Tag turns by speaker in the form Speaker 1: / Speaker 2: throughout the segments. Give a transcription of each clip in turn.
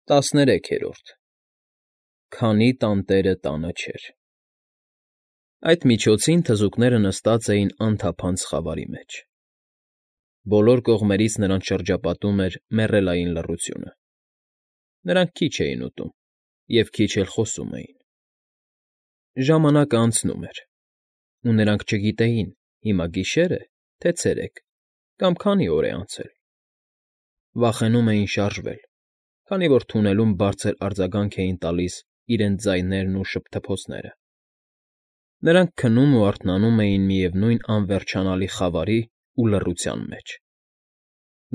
Speaker 1: 13-րդ Քանի տանտերը տանը չէր։ Այդ միջոցին թզուկները նստած էին անթափանց խավարի մեջ։ Բոլոր կողմերից նրանց շրջապատում էր մեռելային լռությունը։ Նրանք քիչ էին ուտում և քիչ էլ խոսում էին։ Ժամանակը անցնում էր, ու նրանք չգիտեին հիմա գիշե՞ր է, թե ցերեկ, կամ քանի օր է անցել։ Վախենում էին շարժվել, քանի որ թունելում բարձր արձագանք էին տալիս իրենց ձայներն ու շփթփոցները։ Նրանք քնում ու արթնանում էին միևնույն անվերջանալի խավարի ու լռության մեջ։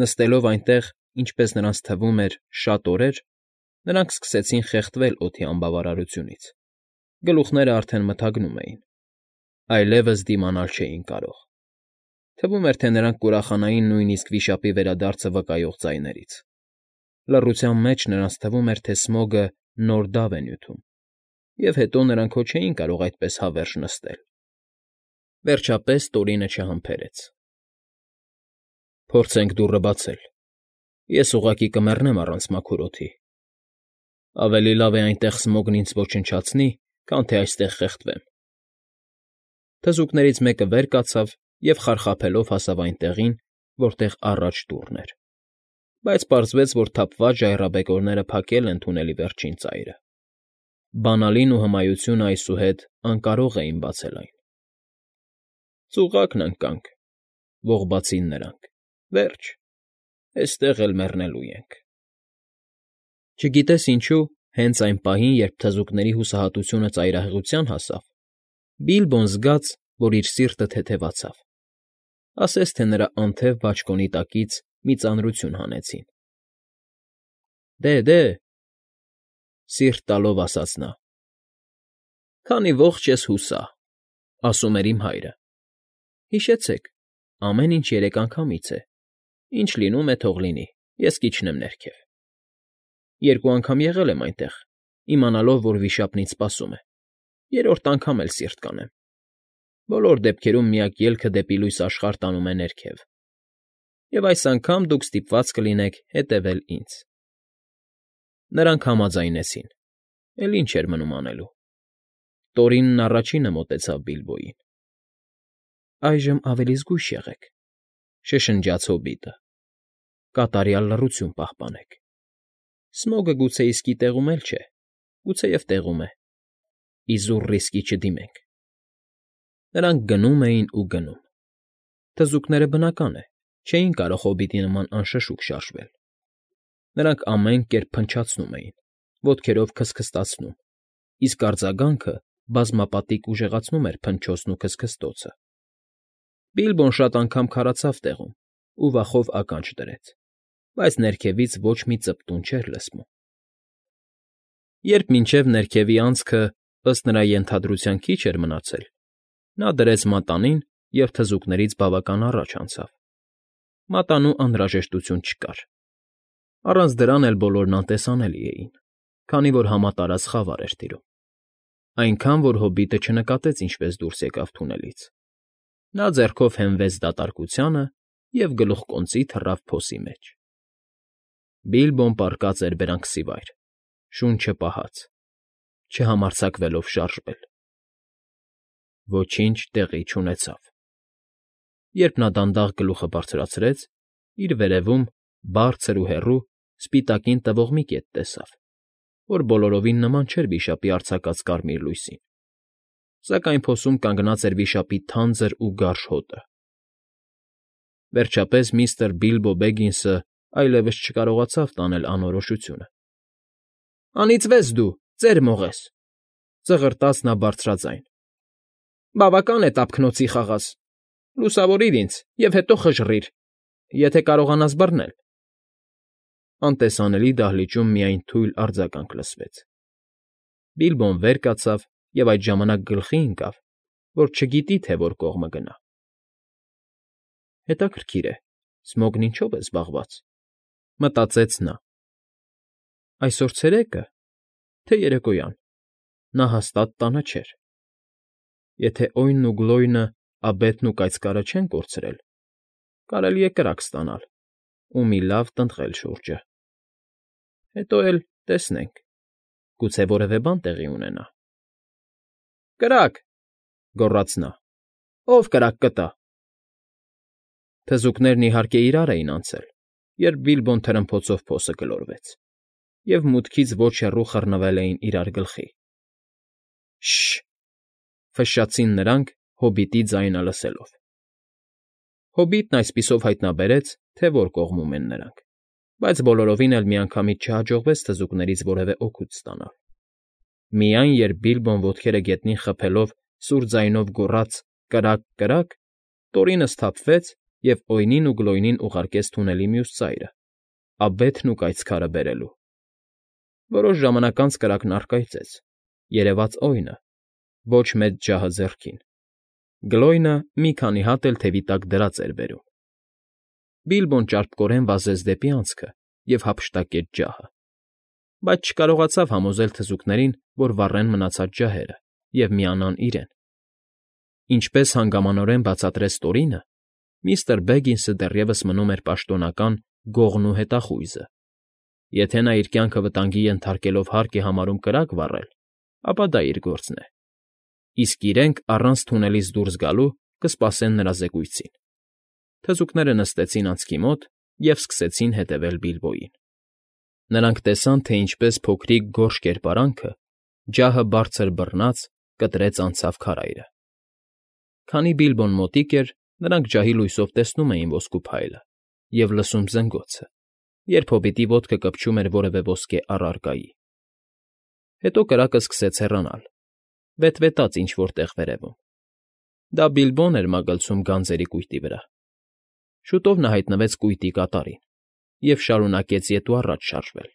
Speaker 1: Նստելով այնտեղ, ինչպես նրանց թվում էր, շատ օրեր, նրանք սկսեցին խեղդվել օդի անբավարարությունից, գլուխներն արդեն մթագնում էին, այլևս դիմանալ չէին կարող։ Թվում էր, թե նրանք կուրախանային նույնիսկ վիշապի վերադարձը վկայող ձայներից։ Լռության մեջ նրանց թվում էր, թե Սմոգը նոր դավ է նյութում, և հետո նրանք հո չէին կարող այդպես հավերժ նստել։ Վերջապես Տորինը չհամբերեց. ֊ Փորձենք դուռը բացել, ես ուղղակի կմեռնեմ առանց մաքուր օդի։ Ավելի լավ է այնտեղ Սմոգն ինձ ոչնչացնի, քան թե այստեղ խեղդվեմ։ Թզուկներից մեկը վեր կացավ և խարխափելով հասավ այն տեղին, որտեղ առաջ դուռն էր, բայց պարզվեց, որ թափված ժայռաբեկորները փակել են թունելի վերջին ծայրը։ Բանալին ու հմայությունը այսուհետ անկարող էին բացել այն։ ֊ Ծուղակն ընկանք,֊ ողբացին նրանք,֊ վերջ, էստեղ էլ մեռնելու ենք։ Չգիտես ինչու, հենց այն պահին, երբ թզուկների հուսահատությունը ծայրահեղության հասավ, Բիլբոն զգաց, որ իր սիրտը թեթևացավ, ասես թե նրա անթև բաճկոնի տակից մի ծանրություն հանեցին։ Դե,֊ սիրտ տալով ասաց նա,֊ քանի ողջ ես հուսա, ասում էր իմ հայրը։ Հիշեցեք, ամեն ինչ 3 անգամից է, ինչ լինում է, թող լինի, ես կիջնեմ ներքև։ 2 անգամ եղել եմ այնտեղ, իմանալով, որ վիշապն ինձ սպասում է, 3-րդ անգամ էլ սիրտ կանեմ։ Բոլոր դեպքերում միակ ելքը դեպի լույս աշխարհ տանում է ներքև, և այս անգամ դուք ստիպված կլինեք հետևել ինձ։ Նրանք համաձայնեցին, էլ ինչ էր մնում անելու։ Տորինն առաջինը մոտեցավ Բիլբոյին։ ֊ Այժմ ավելի զգույշ եղեք,֊ շշնջաց հոբիտը,֊ կատարյալ լռություն պահպանեք։ Սմոգը գուցե իսկի տեղում էլ չէ, գուցեև տեղում է, իզուր ռիսկի չդիմենք։ Նրանք գնում էին ու գնում։ Թզուկները, բնական է, չէին կարող հոբիտի նման անշշուկ շարժվել։ Նրանք ամեն կերպ փնչացնում էին, ոտքերով քստքստացնում, իսկ արձագանքը բազմապատիկ ուժեղացնում էր փնչոցն ու քստքստոցը։ Բիլբոն շատ անգամ քարացավ տեղում ու վախով ականջ դրեց, բայց ներքևից ոչ մի ծպտուն չէր լսվում։ Երբ մինչև ներքևի անցքը, ըստ նրա ենթադրության, քիչ էր մնացել, նա դրեց մատանին և թզուկներից բավական առաջ անցավ։ Մատանու անհրաժեշտություն չկար։ Առանց դրան էլ բոլորն անտեսանելի էին, քանի որ համատարած խավար էր տիրում։ Այնքան, որ հոբիտը չնկատեց ինչպես դուրս եկավ թունելից։ Նա ձեռքով հենվեց դատարկությանը և գլուխկոնծի թռավ փոսի մեջ։ Բիլբոն պառկած էր բերանքսիվայր, շունչը պահած, չհամարձակվելով շարժվել։ Ոչինչ տեղի չունեցավ։ Երբ նա դանդաղ գլուխը բարձրացրեց, իր վերևում, բարձր ու հեռու, սպիտակին տվող մի կետ տեսավ, որ բոլորովին նման չէր վիշապի արձակած կարմիր լույսին, սակայն փոսում կանգնած էր վիշապի թանձր ու գարշ հոտը։ Վերջապես միստր Բիլբո Բեգինսը այլևս չկարողացավ տանել անորոշությունը։ ֊ Անիծվես դու, ծեր մողես,֊ ծղրտաց նա բարձրաձայն,֊ բավական է տափկնոցի խաղաս, լուսավորիր ինձ և հետո խժռիր, եթե կարողանաս բռնել։ Անտեսանելի դահլիճում միայն թույլ արձագանք լսվեց։ Բիլբոն վեր կացավ և այդ ժամանակ գլխի ընկավ, որ չգիտի, թե որ կողմը գնա։ Հետաքրքիր է, Սմոգն ինչո՞վ է զբաղված,֊ մտածեց նա։ Այսօր ցերեկ է, թե երեկոյան, նա հաստատ տանը չէր։ Եթե Օյնն ու Գլոյնը, աբեթն ու կայծքարը չեն կորցրել, կարելի է կրակ ստանալ ու մի լավ տնտղել շուրջը։ Հետո էլ Տեսնենք, գուցե որևէ բան տեղի ունենա։ ֊ Կրա՜կ,֊ գոռաց նա։֊ Ո՞վ կրակ կտա։ Թզուկներն, իհարկե, իրար էին անցել, երբ Բիլբոն թրմփոցով փոսը գլորվեց, և մուտքից ոչ հեռու խռնվել էին իրար գլխի։ ֊ Շը՜շ,֊ ֆշշացին նրանք՝ հոբիտի ձայնը լսելով։ Հոբիտն այսպիսով հայտնաբերեց, թե որ կողմում են նրանք, բայց բոլորովին էլ միանգամից չհաջողվեց թզուկներից որևէ օգուտ ստանալ։ Միայն երբ Բիլբոն ոտքերը գետնին խփելով սուր ձայնով գոռաց. «Կրա՜կ, կրա՜կ», Տորինը սթափվեց և Օյնին ու Գլոյնին ուղարկեց թունելի մյուս ծայրը՝ աբեթն ու կայծքարը բերելու։ Որոշ ժամանակ անց կրակն առկայծեց, երևաց Օյնը, ոչ մեծ ջահը ձեռքին։ Գլոյնը մի քանի հատ էլ թևի տակ դրած էր բերում։ Բիլբոն ճարպկորեն վազեց դեպի անցքը և հափշտակեց ջահը, բայց չկարողացավ համոզել թզուկներին, որ վառեն մնացած ջահերը և միանան իրեն։ Ինչպես հանգամանորեն բացատրեց Տորինը, միստր Բեգինսը դեռևս մնում էր պաշտոնական Գողն ու Հետախույզը։ Եթե նա իր կյանքը վտանգի ենթարկելով հարկ է համարում կրակ վառել, ապա դա իր գործն է, իսկ իրենք առանց թունելից դուրս գալու կսպասեն նրա զեկույցին։ Թզուկները նստեցին անցքի մոտ և սկսեցին հետևել Բիլբոյին։ Նրանք տեսան, թե ինչպես փոքրիկ գորշ կերպարանքը, ջահը բարձր բռնած, կտրեց անցավ քարայրը։ Քանի Բիլբոն մոտիկ էր, նրանք ջահի լույսով տեսնում էին ոսկու փայլը և լսում զնգոցը, երբ հոբիտի ոտքը կպչում էր որևէ ոսկե առարկայի։ Հետո կրակը սկսեց հեռանալ, վետվետաց ինչ֊որ տեղ վերևում։ Դա Բիլբոն էր մագլցում գանձերի կույտի վրա։ Շուտով նա հայտնվեց կույտի կատարին և շարունակեց ետ ու առաջ շարժվել։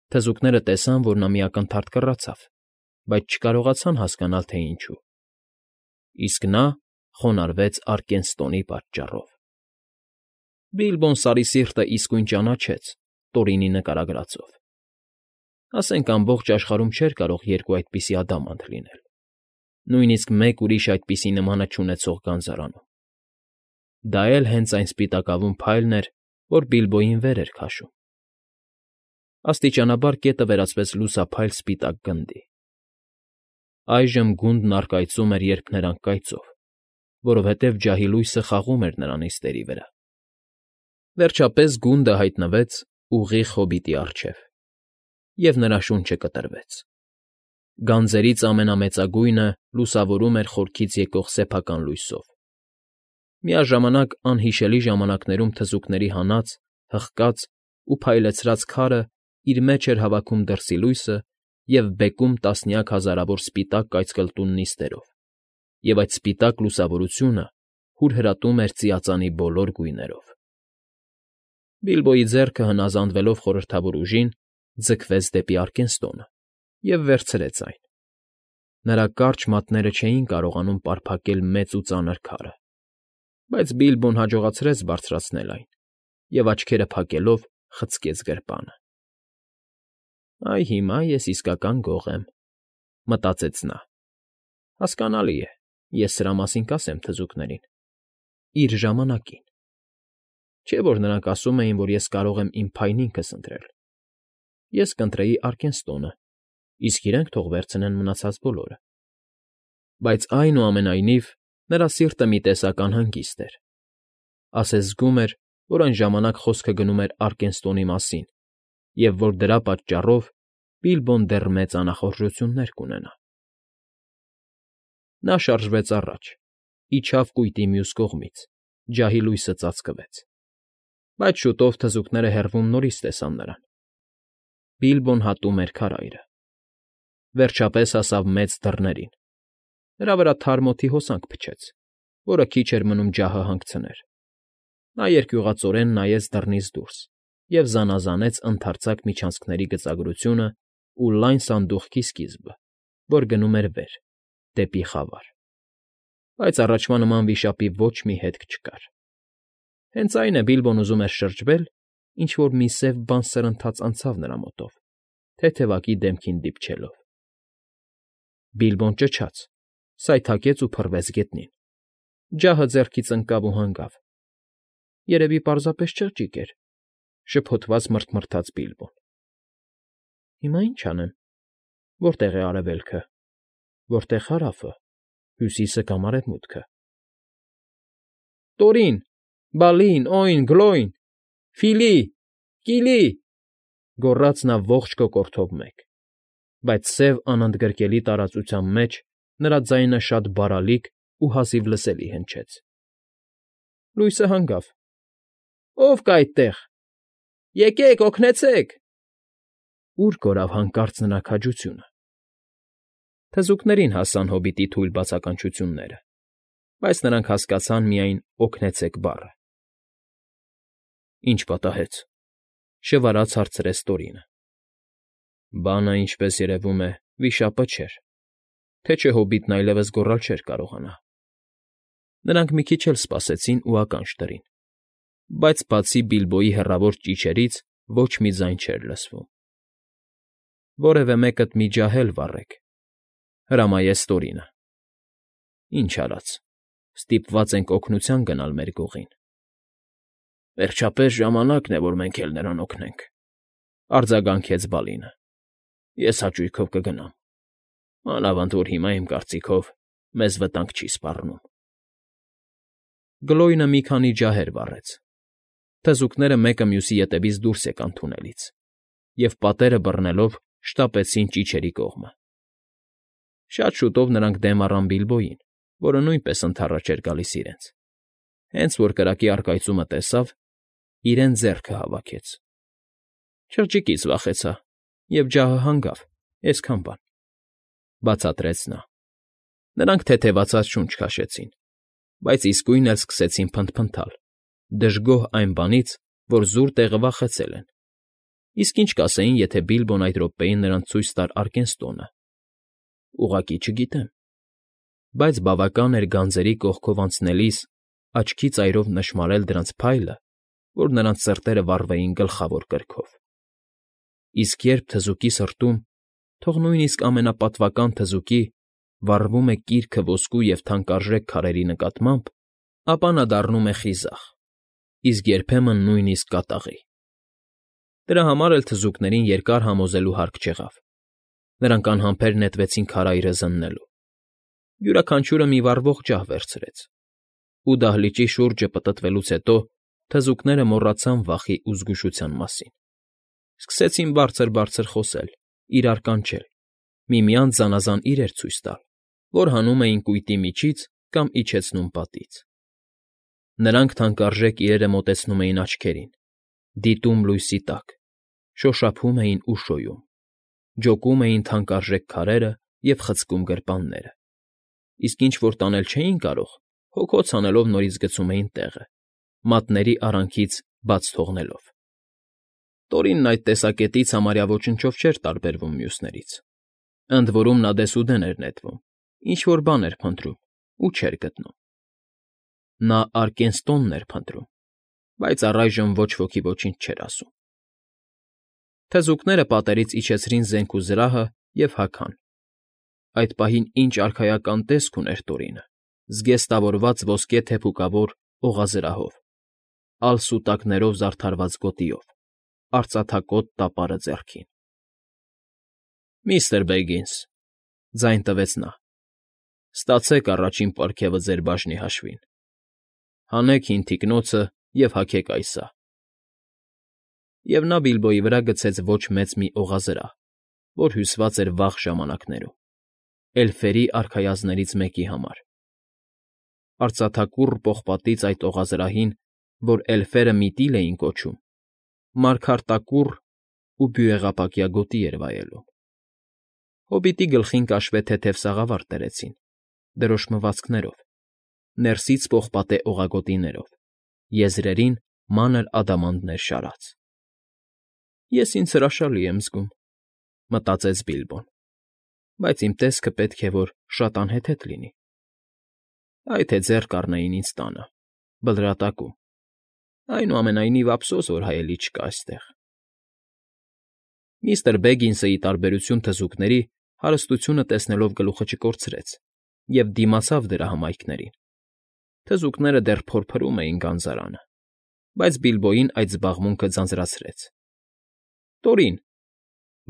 Speaker 1: Թզուկները տեսան, որ նա մի ակնթարթ կռացավ, բայց չկարողացան հասկանալ, թե ինչու։ Իսկ նա խոնարհվեց Արկենստոնի պատճառով։ Բիլբոն Սարի Սիրտը իսկույն ճանաչեց Տորինի նկարագրածով։ Ասենք ամբողջ աշխարհում չէր կարող երկու այդպիսի ադամանդ լինել, նույնիսկ մեկ ուրիշ այդպիսի նմանը չունեցող գանձարանում։ Դա էլ հենց այն սպիտակավուն փայլն էր, որ Բիլբոյին վեր էր քաշում։ Աստիճանաբար կետը վերածվեց լուսափայլ սպիտակ գնդի։ Այժմ գունդն առկայծում էր երփներանգ կայծով, որովհետև ջահի լույսը խաղում էր նրա նիստերի վրա։ Վերջապես գունդը հայտնվեց ուղիղ հոբիտի առջև, և նրա շունչը կտրվեց։ Գանձերից ամենամեծագույնը լուսավորում էր խորքից եկող սեփական լույսով։ Միաժամանակ անհիշելի ժամանակներում թզուկների հանած, հղկած ու փայլեցրած քարը իր մեջ էր հավաքում դրսի լույսը և բեկում տասնյակ հազարավոր սպիտակ կայծկլտուն նիստերով, և այդ սպիտակ լուսավորությունը հուրհրատում էր ծիածանի բոլոր գույներով։ Բիլբոյի ձեռքը, հնազանդվելով խորհրդավոր ուժին, ձգվեց դեպի Արկենստոնը և վերցրեց այն։ Նրա կարճ մատները չէին կարողանում պարփակել մեծ ու ծանր քարը, բայց Բիլբոն հաջողացրեց բարձրացնել այն և, աչքերը փակելով, խցկեց գրպանը։ «Այ հիմա ես իսկական գող եմ,֊ մտածեց նա։ Հասկանալի է, ես սրա մասին կասեմ թզուկներին… իր ժամանակին։ Չէ՞ որ նրանք ասում էին, որ ես կարող եմ իմ փայն ինքս ընտրել։ Ես կընտրեի Արկենստոնը, իսկ իրենք թող վերցնեն մնացած բոլորը»։ Բայց, այնուամենայնիվ, նրա սիրտը մի տեսակ անհանգիստ էր։ Ասես զգում էր, որ այն ժամանակ խոսքը գնում էր Արկենստոնի մասին և որ դրա պատճառով Բիլբոն դեռ մեծ անախորժություններ կունենա։ Նա շարժվեց առաջ, իջավ կույտի մյուս կողմից, ջահի լույսը ծածկվեց։ Բայց շուտով թզուկները հեռվում նորից տեսան նրան։ Բիլբոն հատում էր քարայրը։ Վերջապես հասավ մեծ դռներին։ Նրա վրա թարմ օդի հոսանք փչեց, որը քիչ էր մնում ջահը հանգցներ։ Նա երկյուղածորեն նայեց դռնից դուրս և զանազանեց ընդարձակ միջանցքերի գծագրությունն ու լայն սանդուղքի սկիզբը, որ գնում էր վեր, դեպի խավար։ Բայց առաջվա նման վիշապի ոչ մի հետք չկար։ Հենց այն է Բիլբոն ուզում էր շրջվել, ինչ֊որ մի սև բան սրընթաց անցավ նրա մոտով, թեթևակի դեմքին դիպչելով։ Բիլբոն ճչաց, սայթաքեց ու փռվեց գետնին։ Ջահը ձեռքից ընկավ ու հանգավ։ Երևի պարզապես չղջիկ էր,֊ շփոթված մռթմռթաց Բիլբոն։ Հիմա ինչ անեմ, որտե՞ղ է արևելքը, որտե՞ղ հարավը, հյուսիսը կամ արևմուտքը։ Տորին, Բալին, Օյն, Գլոյն, Ֆիլի, Կիլի, գոռաց նա ողջ կոկորդով մեկ, բայց սև անընդգրկելի տարածության մեջ նրա ձայնը շատ բարալիկ ու հազիվ լսելի հնչեց։ Լույսը հանգավ։ Ո՞վ կա այդտեղ։ Եկեք, օգնեցեք։ Ուր կորավ հանկարծ նրա քաջությունը։ Թզուկներին հասան հոբիտի թույլ բացականչությունները, բայց նրանք հասկացան միայն «օգնեցեք» բառը։ Ինչ պատահեց,֊ շվարած հարցրեց Տորինը։ Բանը, ինչպես երևում է, վիշապը չէր, թե չէ հոբիտն այլևս գոռալ չէր կարողանա։ Նրանք մի քիչ էլ սպասեցին ու ականջ դրին, բայց բացի Բիլբոյի հեռավոր ճիչերից ոչ մի ձայն չէր լսվում։ Որևէ մեկդ մի ջահ էլ վառեք,֊ հրամայեց Տորինը։ Ինչ արած, ստիպված ենք օգնության գնալ մեր գողին։ Վերջապես ժամանակն է, որ մենք էլ նրան օգնենք,֊ արձագանքեց Բալինը։ Ես հաճույքով կգնամ։ Մանավանդ որ հիմա, իմ կարծիքով, մեզ վտանգ չի սպառնում։ Գլոյնը մի քանի ջահեր վառեց։ Թզուկները մեկը մյուսի ետևից դուրս եկան թունելից և պատերը բռնելով շտապեցին ճիչերի կողմը։ Շատ շուտով նրանք դեմ առան Բիլբոյին, որը նույնպես ընդառաջ էր գալիս իրենց։ Հենց որ կրակի առկայծումը տեսավ, իրեն ձեռքը հավաքեց։ Չղջիկից վախեցա, և ջահը հանգավ, այսքան բան,֊ բացատրեց նա։ Նրանք թեթևացած շունչ քաշեցին, բայց իսկույն էլ սկսեցին փնթփնթալ, դժգոհ այն բանից, որ զուր տեղը վախեցել են։ Իսկ ինչ կասեին, եթե Բիլբոն այդ րոպեին նրանց ցույց տար Արկենստոնը։ Ուղղակի չգիտեմ, բայց բավական էր գանձերի կողքով անցնելիս աչքի ծայրով նշմարել դրանց փայլը, որ նրանց սրտերը վառվեին գլխավոր կրքով։ Իսկ երբ թզուկի սրտում, թող նույնիսկ ամենապատվական թզուկի, վառվում է կիրքը ոսկու և թանկարժեք քարերի նկատմամբ, ապա նա դառնում է խիզախ, իսկ երբեմն նույնիսկ կատաղի։ Դրա համար էլ թզուկներին երկար համոզելու հարկ չեղավ։ Նրանք անհամբեր նետվեցին քարայրը զննելու։ Յուրաքանչյուրը մի վառվող ջահ վերցրեց, ու դահլիճի շուրջը պտտվելուց հետո թզուկները մոռացան վախի ու զգուշության մասին։ Սկսեցին բարձր֊բարձր խոսել, իրար կանչել, միմյանց զանազան իրեր ցույց տալ, որ հանում էին կույտի միջից կամ իջեցնում պատից։ Նրանք թանկարժեք իրերը մոտեցնում էին աչքերին, դիտում լույսի տակ, շոշափում էին ու շոյում, ջոկում էին թանկարժեք քարերը և խցկում գրպանները, իսկ ինչ որ տանել չէին կարող, հոգոց անելով նորից գցում էին տեղը, մատների արանքից բաց թողնելով։ Տորինն այդ տեսակետից համարյա ոչնչով չէր տարբերվում մյուսներից։ Ընդ որում նա դեսուդեն էր նետվում, ինչ֊որ բան էր փնտրում ու չէր գտնում։ Նա Արկենստոնն էր փնտրում, բայց առայժմ ոչ ոքի ոչինչ չէր ասում։ Թզուկները պատերից իջեցրին զենք ու զրահը և հագան։ Այդ պահին ինչ արքայական տեսք ուներ Տորինը, զգեստավորված ոսկե թեփուկավոր օղազրահով, ալսուտակներով զարդարված գոտիով, արծաթակոթ տապարը ձեռքին։ Միստր Բեգինս,֊ ձայն տվեց նա,֊ ստացեք առաջին պարգևը ձեր բաժնի հաշվին։ Հանեք հին թիկնոցը և հագեք այ սա։ Եվ նա Բիլբոյի վրա գցեց ոչ մեծ մի օղազրահ, որ հյուսված էր վաղ ժամանակներում, էլֆերի արքայազներից մեկի համար։ Արծաթակուռ պողպատից այդ օղազրահին, որ էլֆերը միտրիլ էին կոչում, մարգարտակուռ ու բյուրեղապակյա գոտի էր վայելում։ Հոբիտի գլխին կաշվե թեթև սաղավարտ դրեցին, դրոշմվածքներով, ներսից պողպատե օղագոտիներով, եզրերին մանր ադամանդներ շարած։ Ես ինձ հրաշալի եմ զգում,֊ մտածեց Բիլբոն,֊ բայց իմ տեսքը պետք է որ շատ անհեթեթ լինի։ Այ թե ձեռ կառնեին ինձ տանը, Բլրատակում, այնուամենայնիվ ափսոս, որ հայելի չկա այստեղ։ Միստր Բեգինսը, ի տարբերություն թզուկների, հարստությունը տեսնելով գլուխը չկորցրեց և դիմացավ դրա հմայքներին։ Թզուկները դեռ փորփրում էին գանձարանը, բայց Բիլբոյին այդ զբաղմունքը ձանձրացրեց։ Տորին,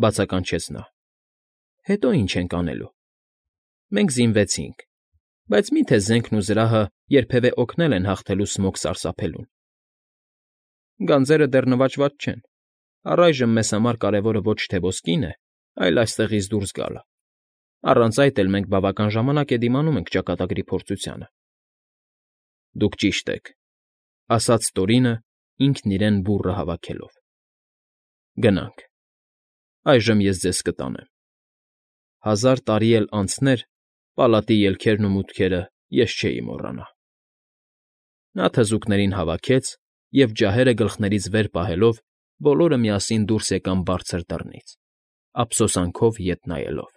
Speaker 1: բացականչեց նա։ Հետո ինչ ենք անելու։ Մենք զինվեցինք, բայց մի՞թե զենքն ու զրահը երբևէ օգնել են հաղթելու Սմոգ Սարսափելուն։ Գանձերը դեռ նվաճված չեն։ Առայժմ մեզ համար կարևորը ոչ թե ոսկին է, այլ այստեղից դուրս գալը։ Առանց այդ էլ մենք բավական ժամանակ է դիմանում ենք ճակատագրի փորձությանը։ ֊ Դուք ճիշտ եք,֊ ասաց Տորինը, ինքն իրեն բուռը հավաքելով։ ֊ Գնանք, այժմ ես ձեզ կտանեմ։ 1000 տարի էլ անցներ, պալատի ելքերն ու մուտքերը ես չէի մոռանա։ Նա թզուկներին հավաքեց և, ջահերը գլխներից վեր պահելով, բոլորը միասին դուրս եկան բարձր դռնից, ափսոսանքով ետ նայելով։